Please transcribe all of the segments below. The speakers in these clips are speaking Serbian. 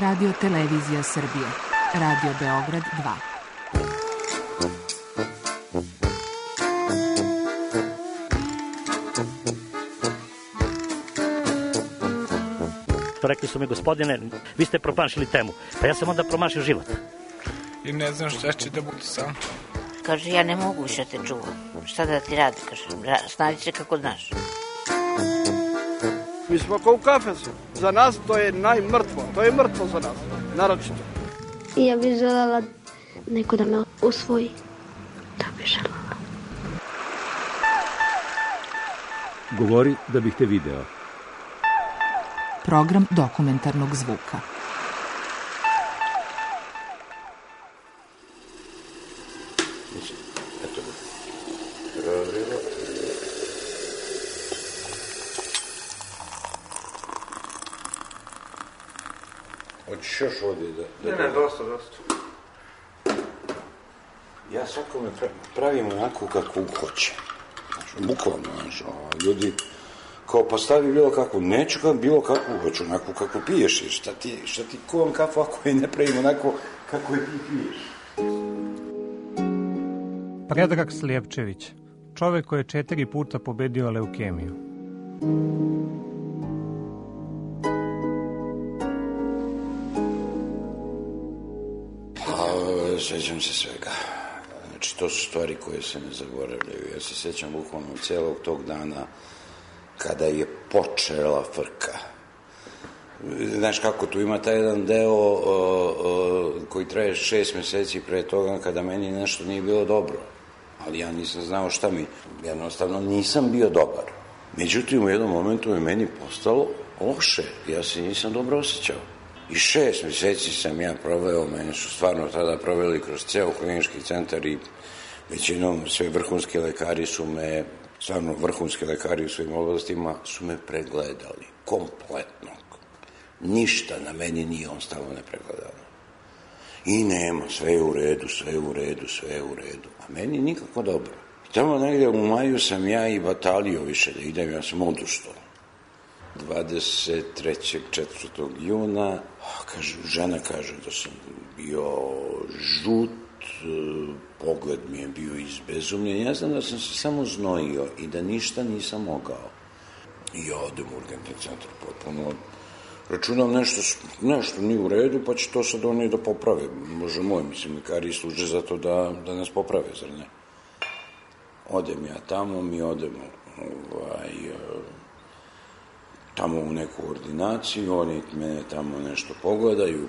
Radio Televizija Srbije. Radio Beograd 2. Rekli su mi, gospodine, vi ste promašili temu. Pa ja sam onda promašio život. I ne znam šta će da bude sam. Kaže, ja ne mogu više te čuvam. Šta da ti radi, kaže, snađi se kako znaš. Mi smo kao u kafesu. Za nas to je najmrtvo. To je mrtvo za nas, naročito. I ja bih želela neko da me usvoji. Da bih želela. Govori da bih te video. Program dokumentarnog zvuka. Hoćeš još ovdje da... Ne, dosta. Ja svakome pravim onako kako hoće. Znači, bukvalno, ljudi kao postavi bilo kakvu, neću kao bilo kakvu, hoću onako kako piješ, jer šta ti kovam kafu ako je ne pravim onako kako je ti piješ. Predrag Slijepčević, čovek koji je 4 puta pobedio leukemiju. Sjećam se svega. Znači, to su stvari koje se ne zaboravljaju. Ja se sjećam bukvalno cijelog tog dana kada je počela frka. Znaš kako, tu ima taj jedan deo koji traje 6 mjeseci pre toga kada meni nešto nije bilo dobro. Ali ja nisam znao šta mi. Jednostavno nisam bio dobar. Međutim, u jednom momentu je meni postalo loše. Ja se nisam dobro osjećao. I 6 mjeseci sam ja proveo, meni su stvarno tada proveli kroz ceo klinički centar i većinom sve vrhunski lekari su me, stvarno vrhunski lekari u svojim oblastima su me pregledali, kompletno. Ništa na meni nije ostalo nepregledano. I nema, sve je u redu. A meni nikako dobro. Tamo negdje u maju sam ja i batalio više da idem, ja sam odustao. 23. 4. juna, žena kaže da sam bio žut, pogled mi je bio izbezumljen. Ja znam da sam se samo znojio i da ništa nisam mogao. I ja odem u urgentni centar potpuno. Računam nešto nije u redu, pa će to sad oni da poprave. Bože moj, mislim, lekari služe za to da nas poprave, zar ne? Odem ja tamo, mi odemo tamo u neku ordinaciju, oni mene tamo nešto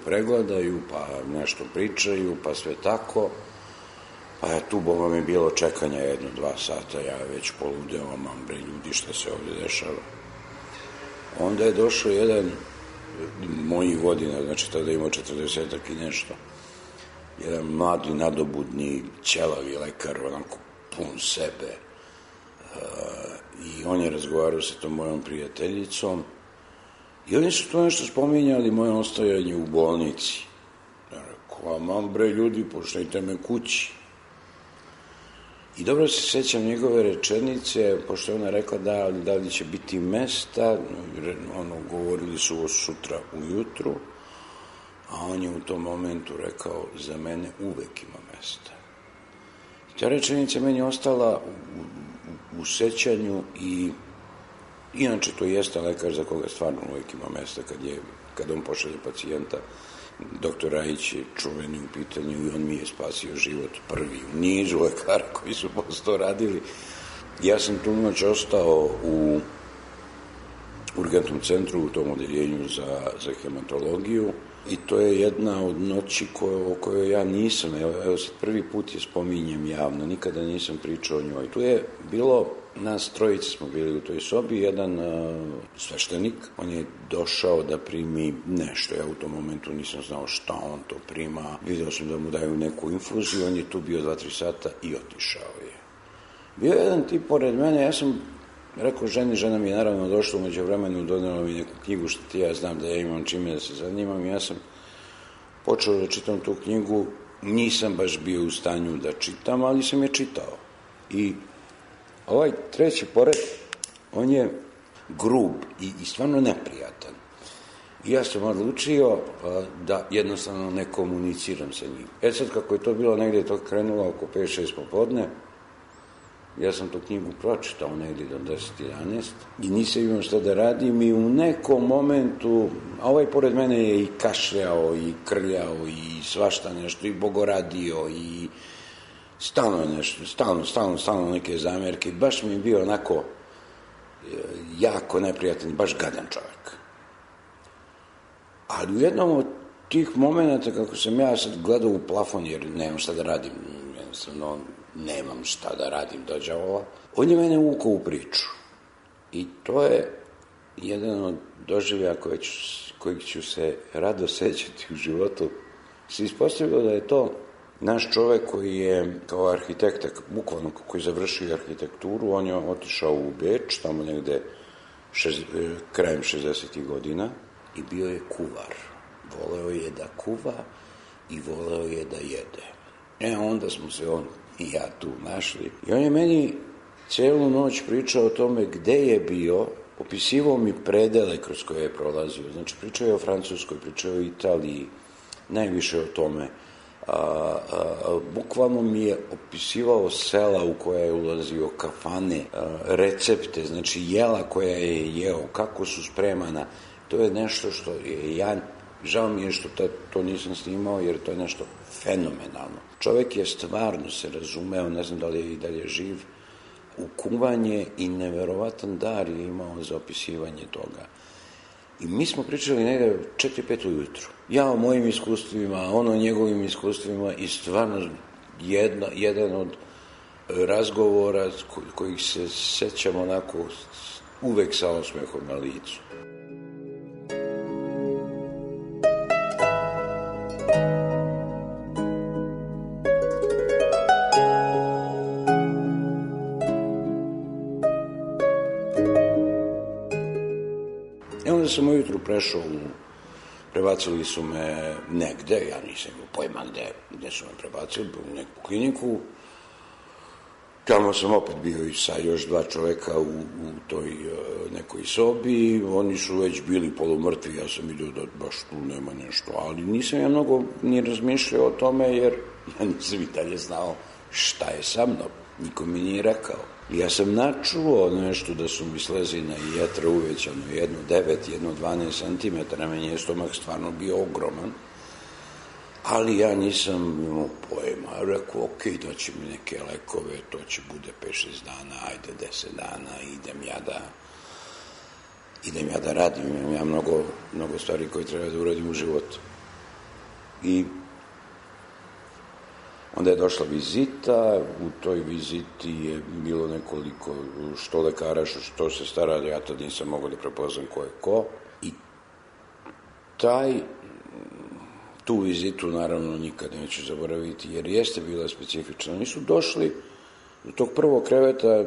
pregledaju, pa nešto pričaju, pa sve tako. Pa je tu, Boga mi, bilo čekanja 1-2 sata, ja već poludeo, mam bre ljudi, šta se ovdje dešava. Onda je došao jedan mojih godina, znači tada imao 40-ak i nešto, jedan mladi, nadobudni, ćelavi lekar, onako pun sebe. I on je razgovarao sa tom mojom prijateljicom i oni su to nešto spominjali, moje ostajanje u bolnici. Ja rekao, mam bre ljudi, pošlijte me kući. I dobro se sjećam njegove rečenice, pošto je ona rekla da li će biti mesta, govorili su o sutra ujutru, a on je u tom momentu rekao, za mene uvek ima mesta. I ta rečenica meni ostala u sećanju i inače to jeste lekar za koga stvarno uvijek ima mesta kad on pošalje pacijenta. Doktor Rajić je čuveni u pitanju i on mi je spasio život prvi u nizu lekara koji su posle to radili. Ja sam tu noć ostao u urgentnom centru u tom odeljenju za hematologiju i to je jedna od noći o kojoj ja nisam, evo sad prvi put je spominjem javno, nikada nisam pričao o njoj. Tu je bilo, nas trojice smo bili u toj sobi, jedan sveštenik, on je došao da primi nešto, ja u tom momentu nisam znao šta on to prima, vidio sam da mu daju neku infuziju, on je tu bio 2-3 sata i otišao je. Bio je jedan tip pored mene, ja sam rekao žena mi je naravno došla u međuvremenu, donela mi neku knjigu što ti ja znam da ja imam čime da se zanimam. Ja sam počeo da čitam tu knjigu, nisam baš bio u stanju da čitam, ali sam je čitao. I ovaj treći pored, on je grub i stvarno neprijatan. I ja sam odlučio da jednostavno ne komuniciram sa njim. Sad, kako je to bilo negdje, to krenulo oko 5-6 popodne, ja sam tu knjigu pročitao negdje do 10-11 i nisam imao šta da radim i u nekom momentu, a ovaj pored mene je i kašljao i krljao i svašta nešto i bogoradio i stalno nešto, stalno neke zamjerke. Baš mi je bio onako jako neprijatan, baš gadan čovjek. Ali u jednom od tih momenata, kako sam ja sad gledao u plafon, jer nemam šta da radim, jednostavno nemam šta da radim do đavola, on je mene uvukao u priču. I to je jedan od doživljaja kojeg ću se rado sećati u životu. Se ispostavilo da je to naš čovjek koji je kao arhitekta, bukvalno koji je završio arhitekturu, on je otišao u Beč, tamo negde krajem 60. godina i bio je kuvar. Voleo je da kuva i voleo je da jede. Onda smo se on i ja tu našli. I on je meni cijelu noć pričao o tome gde je bio, opisivao mi predele kroz koje je prolazio. Znači, pričao je o Francuskoj, pričao je o Italiji, najviše o tome. Bukvalno mi je opisivao sela u koja je ulazio, kafane, recepte, znači jela koja je jeo, kako su spremana. To je nešto što je žao mi je što to nisam snimao, jer to je nešto fenomenalno. Čovjek je stvarno se razumeo, ne znam da li je i dalje živ, u kuvanje i neverovatan dar je imao za opisivanje toga. I mi smo pričali negdje 4-5 ujutru. Ja o mojim iskustvima, on o njegovim iskustvima i stvarno jedan od razgovora kojih se sećam onako uvek sa osmehom na licu. Onda sam ujutru prešao, prebacili su me negde, ja nisam imao pojma gde su me prebacili, u neku kliniku. Tamo sam opet bio i sa još 2 čoveka u toj nekoj sobi, oni su već bili polumrtvi, ja sam vidio da baš tu nema nešto, ali nisam ja mnogo ni razmišljao o tome, jer ja nisam i dalje znao šta je sa mnom, niko mi nije rekao. Ja sam načuo nešto da su mi slezina i jetra uvećano, 1,9, 1,12 centimetara, meni je stomak stvarno bio ogroman, ali ja nisam imao pojma. Rekao, daći mi neke lekove, to će bude 5-6 dana, ajde 10 dana, idem ja da radim, imam ja mnogo stvari koje treba da uradim u životu. I onda je došla vizita, u toj viziti je bilo nekoliko što lekara, što se stara, ja tad nisam mogao da prepoznam ko je ko. I tu vizitu naravno nikad neću zaboraviti, jer jeste bila specifična. Oni su došli do tog prvog kreveta,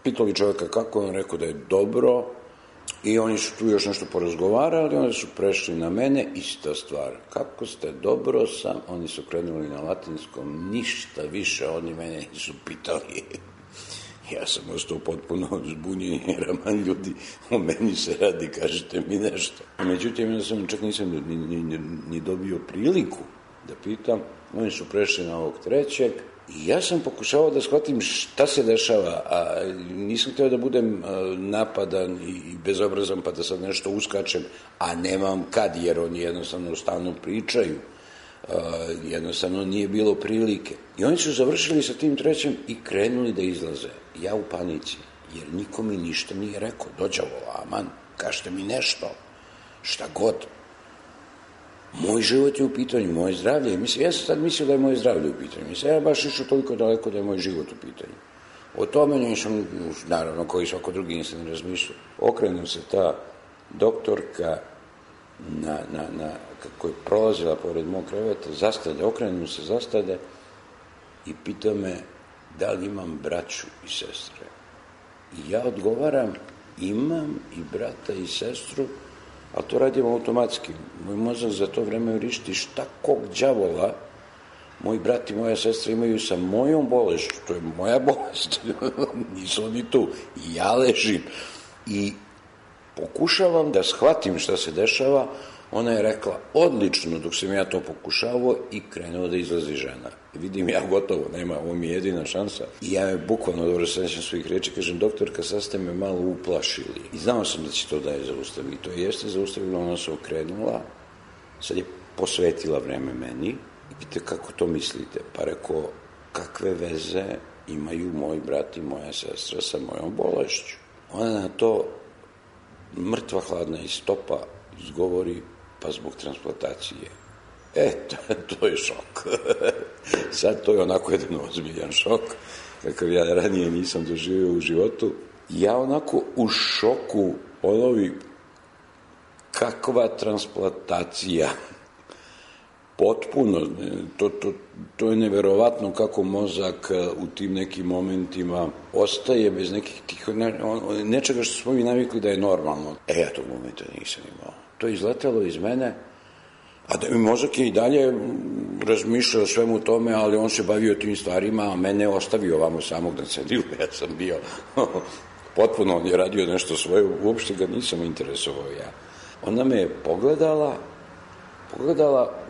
pitali čovjeka kako je, on rekao da je dobro, i oni su tu još nešto porazgovarali, onda su prešli na mene, ista stvar. Kako ste, dobro sam, oni su krenuli na latinskom, ništa više, oni mene nisu pitali. Ja sam ostao potpuno zbunjen, jer aman ljudi, o meni se radi, kažete mi nešto. Međutim, ja sam čak nisam ni dobio priliku da pitam, oni su prešli na ovog trećeg, i ja sam pokušavao da shvatim šta se dešava, a nisam htio da budem napadan i bezobrazan pa da sad nešto uskačem, a nemam kad, jer oni jednostavno stalno pričaju, jednostavno nije bilo prilike. I oni su završili sa tim trećim i krenuli da izlaze. Ja u panici, jer niko mi ništa nije rekao, dođavo, aman, kažete mi nešto, šta god. Moj život je u pitanju, moje zdravlje. Ja sam sad mislio da je moje zdravlje u pitanju. Ja baš išao toliko daleko da je moj život u pitanju. O tome nisam, naravno, koji svako drugi nisam razmišljao. Okrenu se ta doktorka kako je prolazila pored mog kreveta, zastade i pita me da li imam braću i sestre. I ja odgovaram, imam i brata i sestru, a to radim automatski. Moj mozak za to vreme vrišti šta kog đavola moj brat i moja sestra imaju sa mojom bolešću. To je moja bolest. Nisu oni tu. I ja ležim. I pokušavam da shvatim šta se dešava. Ona je rekla, odlično, dok sam ja to pokušavao i krenuo da izlazi žena. Vidim ja gotovo, nema, ovo mi je jedina šansa. I ja je bukvalno dobro sećam svojih reči, kažem, doktorka, sad ste me malo uplašili. I znao sam da će to da je zaustaviti. To jeste zaustavilo, ona se okrenula, sad je posvetila vreme meni i pita kako to mislite. Pa rekao, kakve veze imaju moj brat i moja sestra sa mojom bolešću. Ona na to mrtva hladna iz stopa izgovori, pa zbog transplantacije. To je šok. Sad to je onako jedan ozbiljan šok, kakav ja ranije nisam doživio u životu. Ja onako u šoku, kakva transplantacija. Potpuno, to je neverovatno kako mozak u tim nekim momentima ostaje bez nekih tih, nečega što smo mi navikli da je normalno. Ja tog momenta nisam imao. To je izletelo iz mene, a da mi mozak je i dalje razmišljao o svemu tome, ali on se bavio tim stvarima, a mene ostavio ovamo samog na cedilu. Ja sam bio potpuno, on je radio nešto svoje, uopšte ga nisam interesovao ja. Ona me je pogledala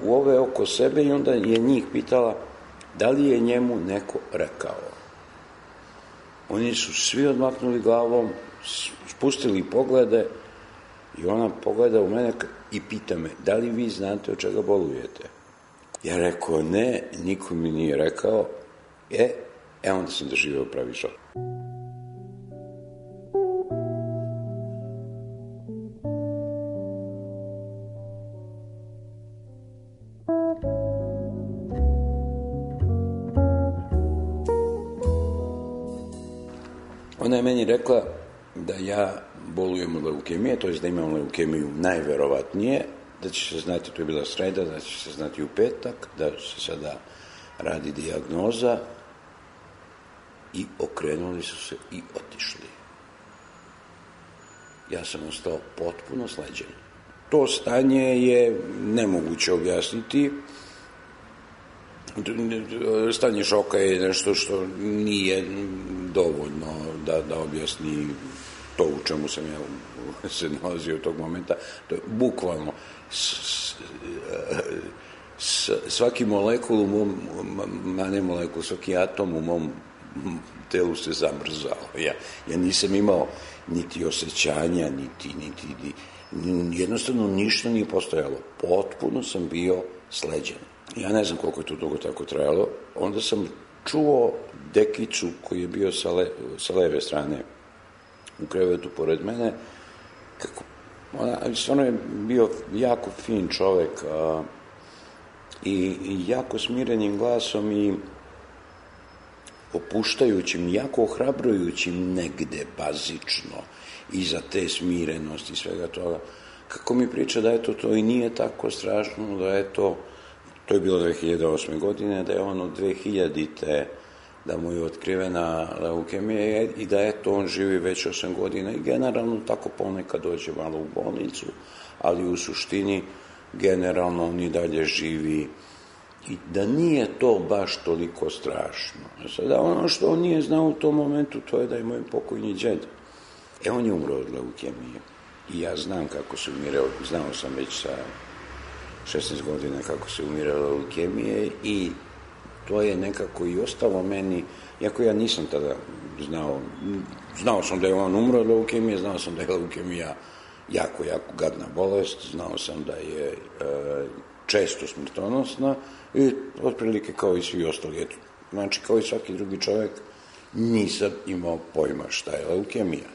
u ove oko sebe i onda je njih pitala da li je njemu neko rekao. Oni su svi odmaknuli glavom, spustili poglede i ona pogleda u mene i pita me, da li vi znate od čega bolujete? Ja rekao, ne, niko mi nije rekao. Onda sam doživeo pravi šok. Ona je meni rekla da ja bolujem od leukemije, to je da imam leukemiju najverovatnije, da će se znati, to je bila sreda, da će se znati u petak, da se sada radi dijagnoza i okrenuli su se i otišli. Ja sam ostao potpuno sleđen. To stanje je nemoguće objasniti. Stanje šoka je nešto što nije dovoljno da objasni to u čemu sam ja se nalazio tog momenta. To je bukvalno svaki molekul u mom, ne molekul, svaki atom u mom telu se zamrzao. Ja nisam imao niti osjećanja, jednostavno ništa nije postojalo. Potpuno sam bio sleđen. Ja ne znam koliko je to dugo tako trajalo. Onda sam čuo dekicu koji je bio sa leve strane u krevetu pored mene. Stvarno je bio jako fin čovek i jako smirenim glasom i opuštajućim, jako ohrabrujućim negde bazično iza te smirenosti i svega toga. Kako mi priča da je to i nije tako strašno, da je to je bilo 2008. godine, da je on od 2000-te, da mu je otkrivena leukemija i da on živi već 8 godina i generalno tako ponekad dođe malo u bolnicu, ali u suštini generalno on i dalje živi i da nije to baš toliko strašno. Sada ono što on nije znao u tom momentu, to je da je moj pokojni džed. On je umro od leukemije i ja znam kako se umirao, znao sam već sa 16 godina kako se umirala leukemije i to je nekako i ostalo meni, iako ja nisam tada znao sam da je on umro od leukemije, znao sam da je leukemija jako gadna bolest, znao sam da je često smrtonosna i otprilike kao i svi ostali. Znači, kao i svaki drugi čovjek, nisam imao pojma šta je leukemija.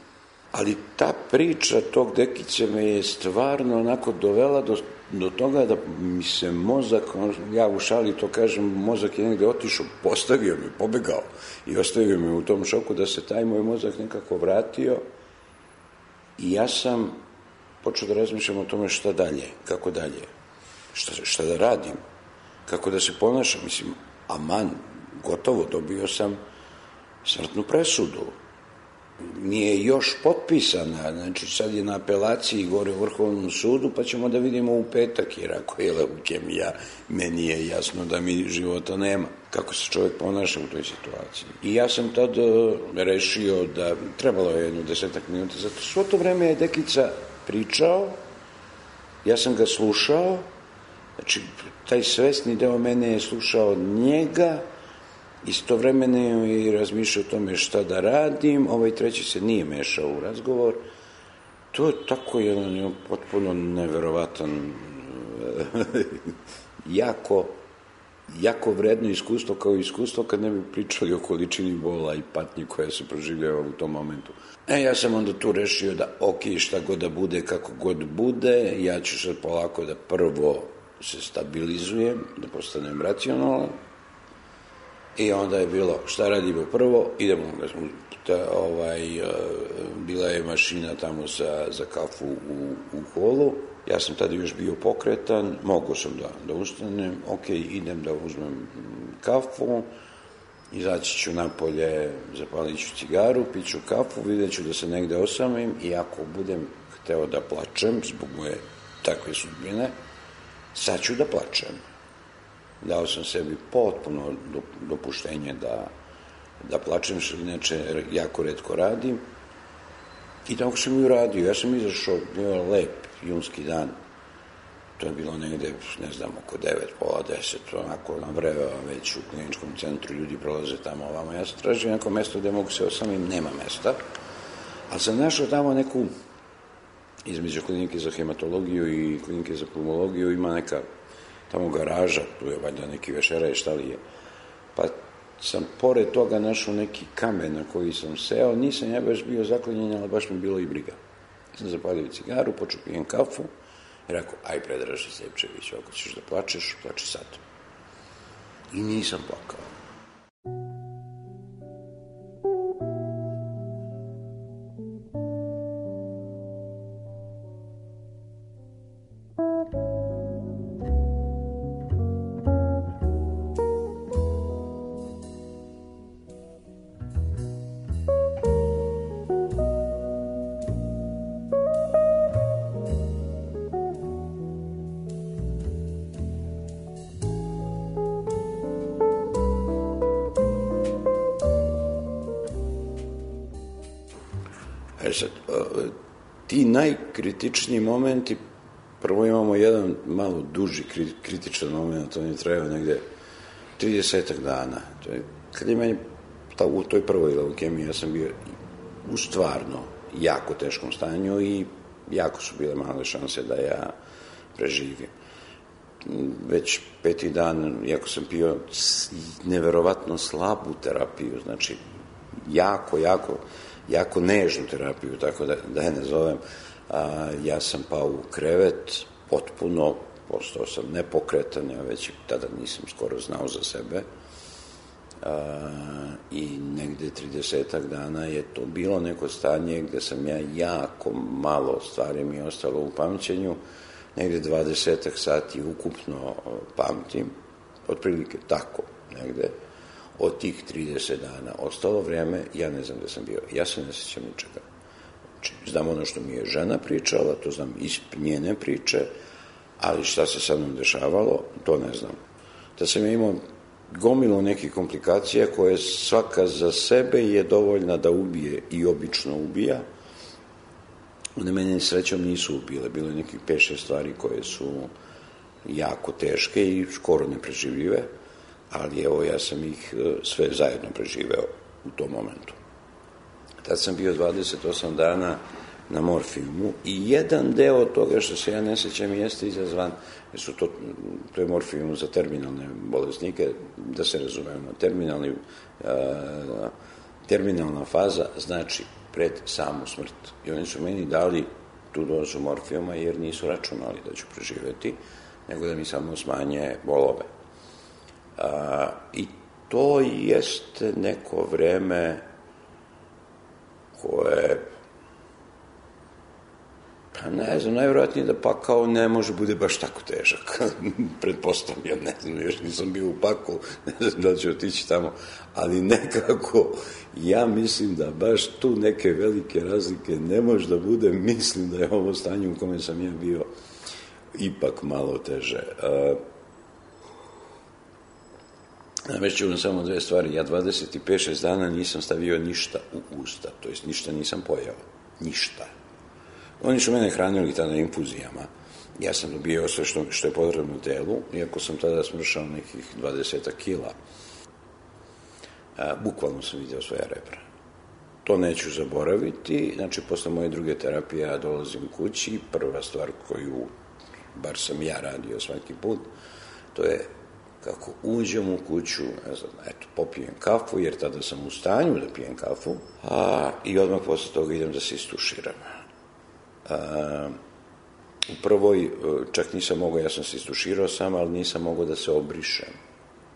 Ali ta priča tog dekice me je stvarno onako dovela do toga da mi se mozak, ja u šali to kažem, mozak je negde otišao, postavio me, pobegao i ostavio me u tom šoku da se taj moj mozak nekako vratio i ja sam počeo da razmišljam o tome šta dalje, kako dalje, šta da radim, kako da se ponašam, mislim, aman, gotovo, dobio sam smrtnu presudu. Nije još potpisana, znači sad je na apelaciji gore u Vrhovnom sudu, pa ćemo da vidimo u petak, jer ako je leukemija, meni je jasno da mi života nema. kako se čovjek ponaša u toj situaciji. I ja sam tad rešio da trebalo je jedno 10 minuta, zato svo to vreme je Dekica pričao, ja sam ga slušao, znači taj svesni deo mene je slušao njega, istovremeno je i razmišljao o tome šta da radim, ovaj treći se nije mešao u razgovor. To je tako jedan potpuno neverovatan, jako vredno iskustvo, kao iskustvo kad ne bi pričali o količini bola i patnji koja se proživljava u tom momentu. Ja sam onda tu rešio da šta god da bude, kako god bude, ja ću sad polako da prvo se stabilizujem, da postanem racionalan. I onda je bilo, šta radimo prvo, idemo, bila je mašina tamo za kafu u holu, ja sam tada još bio pokretan, mogao sam da ustanem, idem da uzmem kafu, izaći ću napolje, zapalit ću cigaru, piću kafu, vidjet ću da se negde osamim i ako budem hteo da plačem zbog moje takve sudbine, sad ću da plačem. Dao sam sebi potpuno dopuštenje da plačem, što inače jako retko radim. I tako sam i uradio. Ja sam izašao, bio lep junski dan. To je bilo negde, ne znam, oko 9, pola 10, onako navrevao već u kliničkom centru, ljudi prolaze tamo ovamo. Ja sam tražio neko mesto gde mogu se osamim, nema mesta. Ali sam našao tamo neku, između klinike za hematologiju i klinike za pulmologiju, ima neka tamo garaža, tu je valjda neki vešeraj, šta li je. Pa sam pored toga našao neki kamen na koji sam seo, nisam ja baš bio zaklonjen, ali baš mi bilo i briga. Sam zapalio cigaru, počeo pijem kafu i rekao, aj Predraže Sljepčević, ako ćeš da plačeš, plači sad. I nisam plakao. Sad, ti najkritičniji momenti, prvo imamo jedan malo duži kritičan moment, on je trajao negde 30 dana. To je, kad je meni u toj prvoj leukemiji, ja sam bio u stvarno jako teškom stanju i jako su bile male šanse da ja preživim. Već 5. dan, iako sam pio neverovatno slabu terapiju, znači jako nežnu terapiju, tako da je nazovem, ja sam pao u krevet, potpuno, postao sam nepokretan, ja već tada nisam skoro znao za sebe i negde 30 dana je to bilo neko stanje gde sam ja jako malo stvari mi je ostalo u pamćenju, negde 20 sati ukupno pamtim, otprilike tako negde. Od tih 30 dana ostalo vreme, ja ne znam gde sam bio, ja se ne sjećam ničega. Znam ono što mi je žena pričala, to znam iz njene priče, ali šta se sa mnom dešavalo, to ne znam. Da sam ja imao gomilu nekih komplikacija koje svaka za sebe je dovoljna da ubije i obično ubija. One mene srećom nisu ubile, bilo je nekih 5-6 stvari koje su jako teške i skoro nepreživljive, ali evo ja sam ih sve zajedno preživeo u tom momentu. Tad sam bio 28 dana na morfijumu i jedan deo toga što se ja ne sećam jeste izazvan, jer su to je morfijum za terminalne bolesnike, da se razumemo, terminalna faza znači pred samu smrt. I oni su meni dali tu dozu morfijuma jer nisu računali da ću preživeti, nego da mi samo smanje bolove. I to jeste neko vreme koje, pa ne znam, najvjerojatnije da pakao ne može bude baš tako težak. Pretpostavljam, ne znam, još nisam bio u paklu, ne znam da ću otići tamo, ali nekako ja mislim da baš tu neke velike razlike ne može da bude, mislim da je ovo stanje u kome sam ja bio ipak malo teže. Navešću vam samo dve stvari. Ja 25-6 dana nisam stavio ništa u usta, to jest ništa nisam pojao. Ništa. Oni su mene hranili tada infuzijama. Ja sam dobio sve što je potrebno telu, iako sam tada smršao nekih 20 kila. Bukvalno sam vidio svoja rebra. To neću zaboraviti. Znači, posle moje druge terapije ja dolazim kući. Prva stvar koju, bar sam ja radio svaki put, to je kako uđem u kuću, ne znam, eto, popijem kafu, jer tada sam u stanju da pijem kafu, i odmah posle toga idem da se istuširam. U prvoj, čak nisam mogao, ja sam se istuširao sam, ali nisam mogao da se obrišem.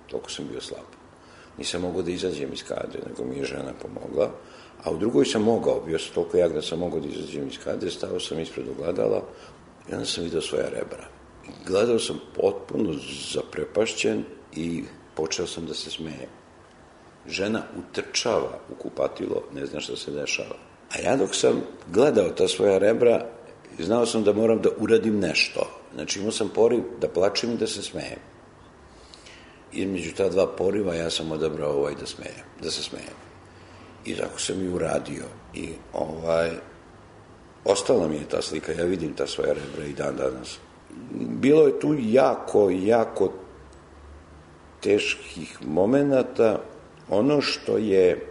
Toliko sam bio slab. Nisam mogao da izađem iz kadre, nego mi je žena pomogla. A u drugoj sam mogao, bio sam toliko jak da sam mogao da izađem iz kadre, stao sam ispred ogledala i onda sam vidio svoja rebra. Gledao sam potpuno zaprepašćen i počeo sam da se smejem. Žena utrčava u kupatilo, ne zna šta se dešava. A ja dok sam gledao ta svoja rebra, znao sam da moram da uradim nešto. Znači imao sam poriv da plačem i da se smejem. Između ta dva poriva ja sam odabrao da se smejem. I tako sam i uradio. I ostala mi je ta slika, ja vidim ta svoja rebra i dan danas. Bilo je tu jako teških momenata. Ono što je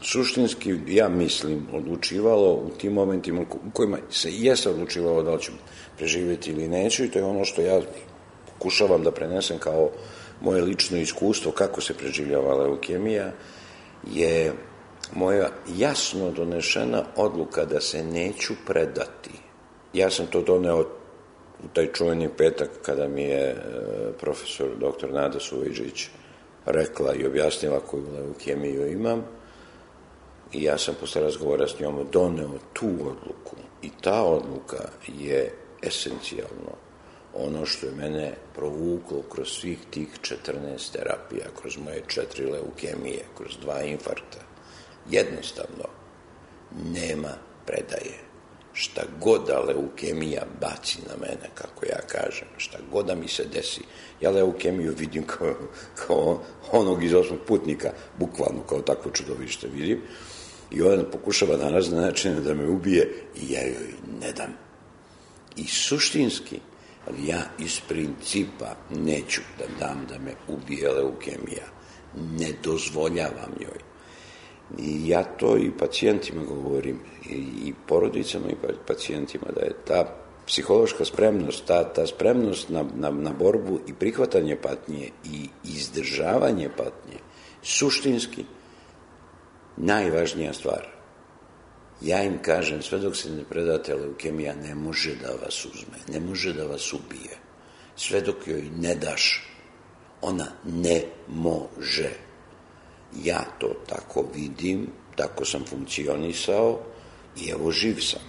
suštinski, ja mislim, odlučivalo u tim momentima u kojima se jeste odlučivalo da li ću preživjeti ili neću, i to je ono što ja pokušavam da prenesem kao moje lično iskustvo kako se preživljava leukemija, je moja jasno donešena odluka da se neću predati. Ja sam to doneo u taj čuveni petak kada mi je profesor dr. Nada Suvejđić rekla i objasnila koju leukemiju imam, i ja sam posle razgovora s njom doneo tu odluku, i ta odluka je esencijalno ono što je mene provuklo kroz svih tih 14 terapija, kroz moje 4 leukemije, kroz 2 infarkta. Jednostavno, nema predaje. Šta god da leukemija baci na mene, kako ja kažem, šta god da mi se desi, ja leukemiju vidim kao onog iz 8. putnika, bukvalno kao takvo čudovište vidim, i ona pokušava na razne načine da me ubije i ja joj ne dam. I suštinski, ali ja iz principa neću da dam da me ubije leukemija. Ne dozvoljavam joj. I ja to i pacijentima govorim, i porodicama i pacijentima, da je ta psihološka spremnost, ta spremnost na borbu i prihvatanje patnje i izdržavanje patnje, suštinski najvažnija stvar. Ja im kažem, sve dok se ne predate, leukemija ne može da vas uzme, ne može da vas ubije. Sve dok joj ne daš, ona ne može. Ja to tako vidim, tako sam funkcionisao i evo živ sam.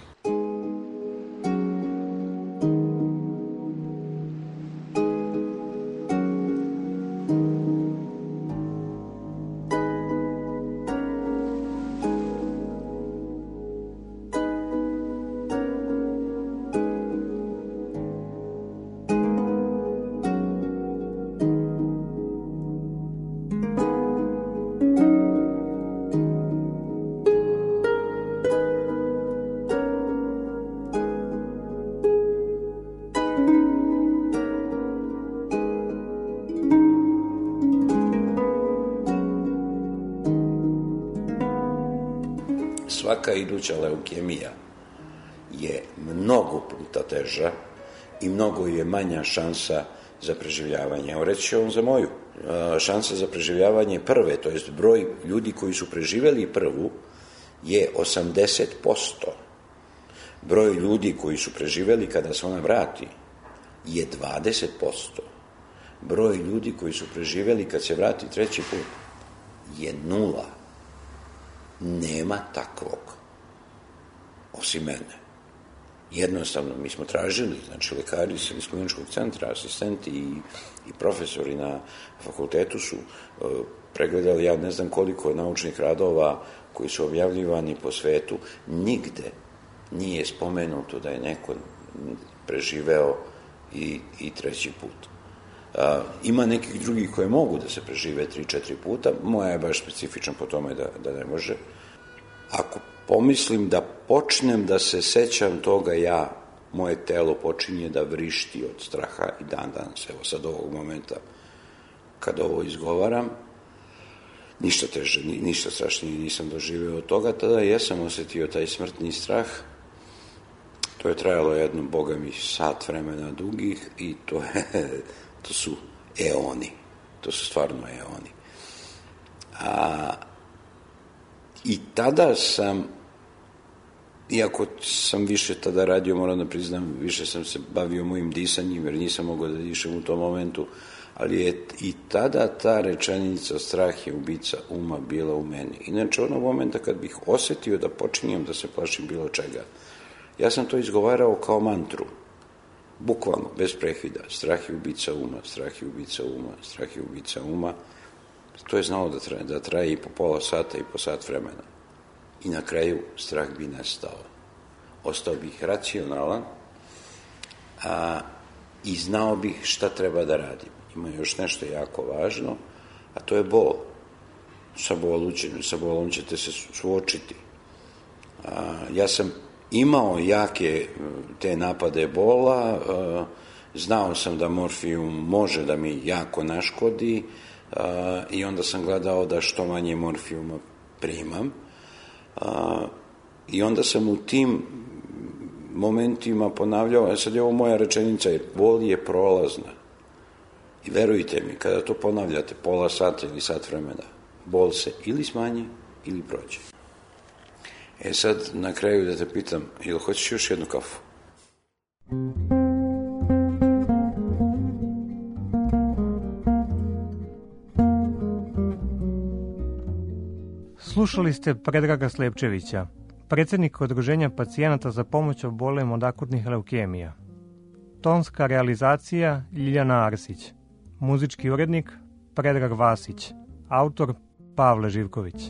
Svaka iduća leukemija je mnogo puta teža i mnogo je manja šansa za preživljavanje. Evo reći ću vam za moju. Šansa za preživljavanje prve, to jest broj ljudi koji su preživjeli prvu, je 80%. Broj ljudi koji su preživjeli kada se ona vrati je 20%. Broj ljudi koji su preživjeli kad se vrati treći put je 0. Nema takvog, osim mene. Jednostavno, mi smo tražili, znači lekari iz kliničkog centra, asistenti i profesori na fakultetu su pregledali, ja ne znam koliko naučnih radova koji su objavljivani po svetu, nigde nije spomenuto da je neko preživeo i treći put. Ima nekih drugih koje mogu da se prežive 3-4 puta, moja je baš specifična po tome da ne može. Ako pomislim da počnem da se sećam toga, moje telo počinje da vrišti od straha i dan danas, evo sad ovog momenta kad ovo izgovaram, ništa teže, ništa strašnije nisam doživeo od toga, tada jesam osetio taj smrtni strah. To je trajalo jedno, boga mi, sat vremena dugih i to su eoni, to su stvarno eoni. I tada sam, iako sam više tada radio, moram da priznam, više sam se bavio mojim disanjem, jer nisam mogao da dišem u tom momentu, ali je i tada ta rečenica strah je ubica uma bila u meni. Inače, onog momenta kad bih osetio da počinjem da se plašim bilo čega, ja sam to izgovarao kao mantru, bukvalno, bez prekida. Strah je ubica uma, strah je ubica uma, strah je ubica uma. To je znalo da traje i po pola sata i po sat vremena. I na kraju strah bi nestao. Ostao bih racionalan i znao bih šta treba da radim. Ima još nešto jako važno, a to je bol. Sa bolom ćete se suočiti. Ja sam imao jake te napade bola, znao sam da morfijum može da mi jako naškodi i onda sam gledao da što manje morfijuma primam i onda sam u tim momentima ponavljao, sad je ovo moja rečenica, jer bol je prolazna i verujte mi, kada to ponavljate pola sata ili sat vremena, bol se ili smanji ili prođe. Sad na kraju da te pitam, jel hoćeš još jednu kafu? Slušali ste Predraga Slepčevića, predsjednika Udruženja pacijenata za pomoć obolelim od akutnih leukemija. Tonska realizacija Ljiljana Arsić. Muzički urednik Predrag Vasić. Autor Pavle Živković.